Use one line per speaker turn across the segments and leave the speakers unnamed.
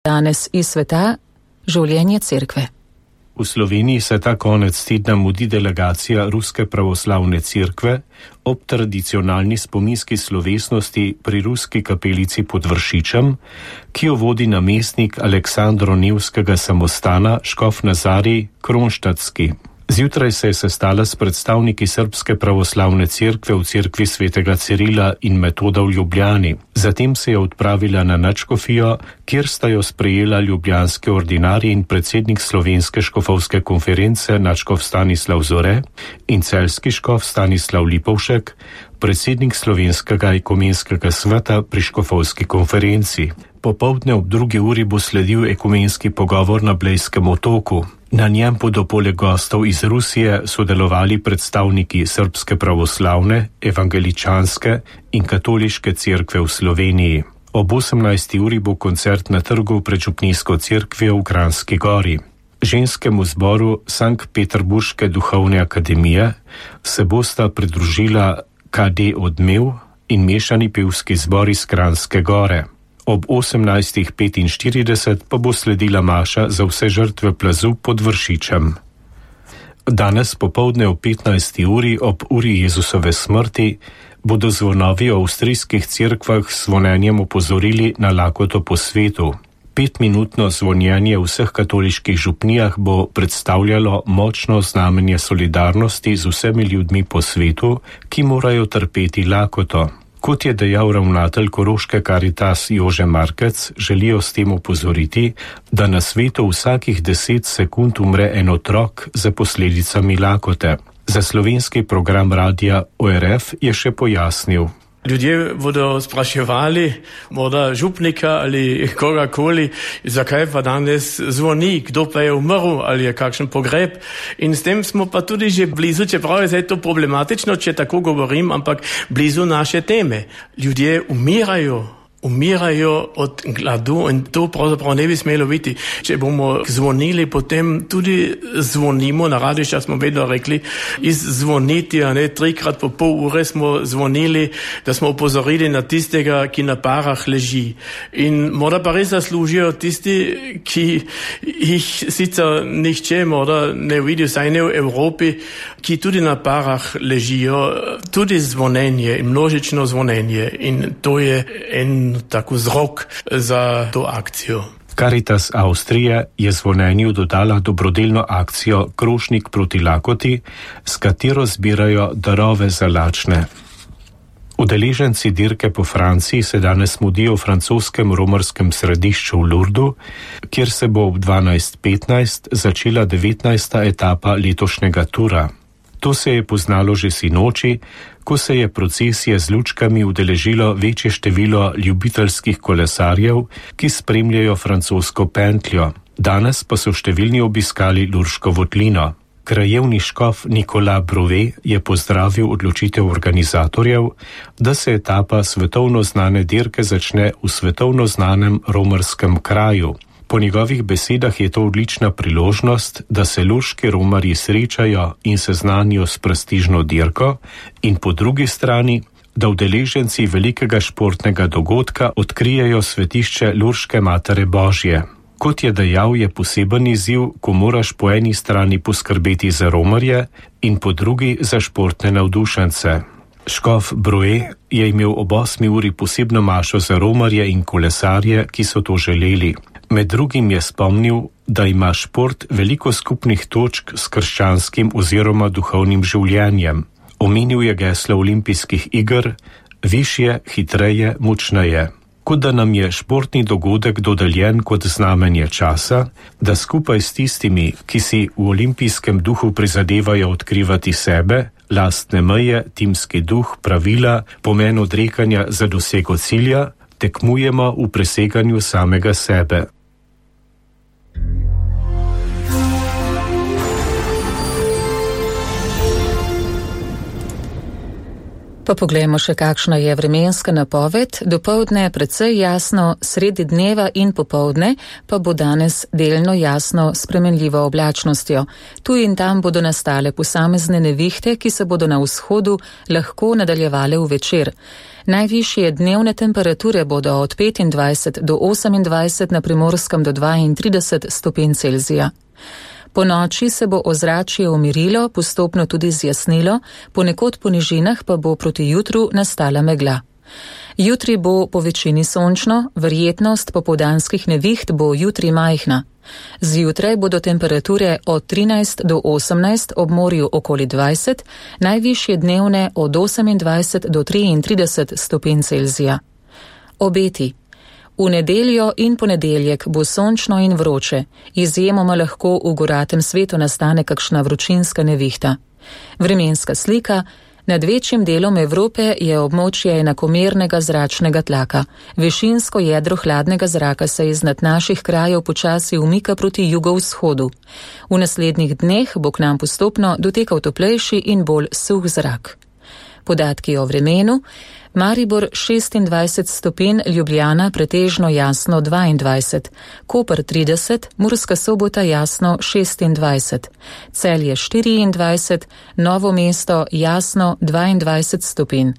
Danes iz sveta življenje cerkve.
V Sloveniji se ta konec tedna mudi delegacija Ruske pravoslavne cerkve ob tradicionalni spominski slovesnosti pri Ruski kapelici pod Vršičem, ki jo vodi namestnik Aleksandro Nevskega samostana škof Nazarij Kronštatski. Zjutraj se je sestala s predstavniki Srbske pravoslavne cerkve v cerkvi svetega Cirila in Metoda v Ljubljani. Zatem se je odpravila na nadškofijo, kjer sta jo sprejela ljubljanski ordinarij in predsednik Slovenske škofovske konference nadškof Stanislav Zore in celjski škof Stanislav Lipovšek, predsednik Slovenskega ekumenskega sveta pri škofovski konferenci. Popoldne ob 2. uri bo sledil ekumenski pogovor na Blejskem otoku. Na njem bodo poleg gostov iz Rusije sodelovali predstavniki Srbske pravoslavne, evangeličanske in katoliške cerkve v Sloveniji. Ob 18. uri bo koncert na trgu pred župnijsko cerkvijo v Kranjski Gori. Ženskemu zboru Sankt-Peterburške duhovne akademije se bosta pridružila KD Odmev in mešani pevski zbor iz Kranjske Gore. Ob 18.45 pa bo sledila maša za vse žrtve plazu pod Vršičem. Danes popoldne ob 15. uri ob uri Jezusove smrti bodo zvonovi v avstrijskih cerkvah s zvonjenjem opozorili na lakoto po svetu. 5-minutno zvonjenje v vseh katoliških župnijah bo predstavljalo močno znamenje solidarnosti z vsemi ljudmi po svetu, ki morajo trpeti lakoto. Kot je dejal ravnatelj Koroške Karitas Jože Markec, želijo s tem opozoriti, da na svetu vsakih 10 sekund umre en otrok za posledicami lakote. Za slovenski program radia ORF je še pojasnil.
Ljudje bodo spraševali, morda župnika ali kogakoli, zakaj pa danes zvoni, kdo pa je umrl ali je kakšen pogreb. In s tem smo pa tudi že blizu, čeprav je zdaj to problematično, če tako govorim, ampak blizu naše teme. Ljudje umirajo od gladu in to pravzaprav ne bi smelo biti. Če bomo zvonili, potem tudi zvonimo, na radišča smo vedno rekli, izzvoniti, a ne 3-krat po pol ure smo zvonili, da smo opozorili na tistega, ki na parah leži. In morda pa res zaslužijo tisti, ki jih sicer nihče morda ne vidi, vsaj ne v Evropi, ki tudi na parah ležijo, tudi zvonenje in množično zvonenje. In to je tako vzrok za to akcijo.
Caritas Avstrije je zvonjenju dodala dobrodelno akcijo Krožnik proti lakoti, s katero zbirajo darove za lačne. Udeleženci dirke po Franciji se danes mudijo v francoskem romarskem središču v Lourdu, kjer se bo ob 12.15 začela 19. etapa letošnjega tura. To se je poznalo že sinoči, ko se je procesije z lučkami udeležilo večje število ljubiteljskih kolesarjev, ki spremljajo francosko pentljo. Danes pa so številni obiskali Lurško votlino. Krajevni škof Nicolas Brouvet je pozdravil odločitev organizatorjev, da se etapa svetovno znane dirke začne v svetovno znanem romarskem kraju. Po njegovih besedah je to odlična priložnost, da se lurški romarji srečajo in seznanijo s prestižno dirko in po drugi strani, da udeleženci velikega športnega dogodka odkrijejo svetišče Lurške Matere Božje. Kot je dejal, je poseben izziv, ko moraš po eni strani poskrbeti za romarje in po drugi za športne navdušence. Škof Brouet je imel ob 8. uri posebno mašo za romarje in kolesarje, ki so to želeli. Med drugim je spomnil, da ima šport veliko skupnih točk s krščanskim oziroma duhovnim življenjem. Omenil je geslo olimpijskih iger: višje, hitreje, močneje. Kot da nam je športni dogodek dodeljen kot znamenje časa, da skupaj s tistimi, ki si v olimpijskem duhu prizadevajo odkrivati sebe, lastne meje, timski duh, pravila, pomen odrekanja za dosego cilja, tekmujemo v preseganju samega sebe.
Pa poglejmo še, kakšna je vremenska napoved. Dopoldne precej jasno, sredi dneva in popoldne pa bo danes delno jasno s spremenljivo oblačnostjo. Tu in tam bodo nastale posamezne nevihte, ki se bodo na vzhodu lahko nadaljevale v večer. Najvišje dnevne temperature bodo od 25 do 28, na Primorskem do 32 stopinj Celzija. Po noči se bo ozračje umirilo, postopno tudi zjasnilo, ponekod po nižinah pa bo proti jutru nastala megla. Jutri bo po večini sončno, verjetnost popoldanskih neviht bo jutri majhna. Zjutraj bodo temperature od 13 do 18, ob morju okoli 20, najvišje dnevne od 28 do 33 stopinj Celzija. Obeti. V nedeljo in ponedeljek bo sončno in vroče, izjemoma lahko v goratem svetu nastane kakšna vročinska nevihta. Vremenska slika. Nad večjim delom Evrope je območje enakomernega zračnega tlaka. Višinsko jedro hladnega zraka se iznad naših krajev počasi umika proti jugovzhodu. V naslednjih dneh bo k nam postopno dotekal toplejši in bolj suh zrak. Podatki o vremenu. Maribor 26 stopinj, Ljubljana pretežno jasno 22, Koper 30, Murska Sobota jasno 26, Celje 24, Novo mesto jasno 22 stopinj,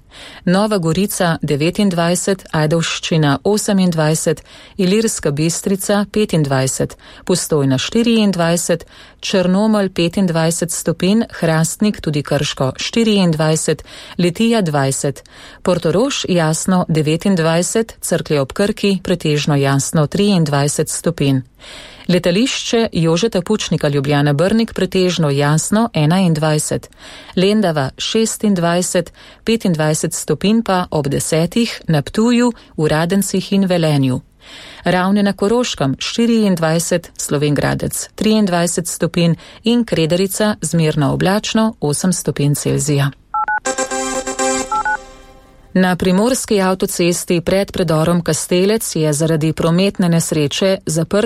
Nova Gorica 29, Ajdovščina 28, Ilirska Bistrica 25, Postojna 24, Črnomelj 25 stopinj, Hrastnik tudi Krško 24, Litija 20, Portorož jasno 29, Cerklje ob Krki pretežno jasno 23 stopinj. Letališče Jožeta Pučnika Ljubljana Brnik pretežno jasno 21, Lendava 26, 25 stopinj pa ob 10 na Ptuju, v Radencih in Velenju. Ravne na Koroškem 24, Slovenj Gradec 23 stopinj in Kredarica zmerno oblačno 8 stopinj Celzija. Na primorski avtocesti pred predorom Kastelec je zaradi prometne nesreče zaprt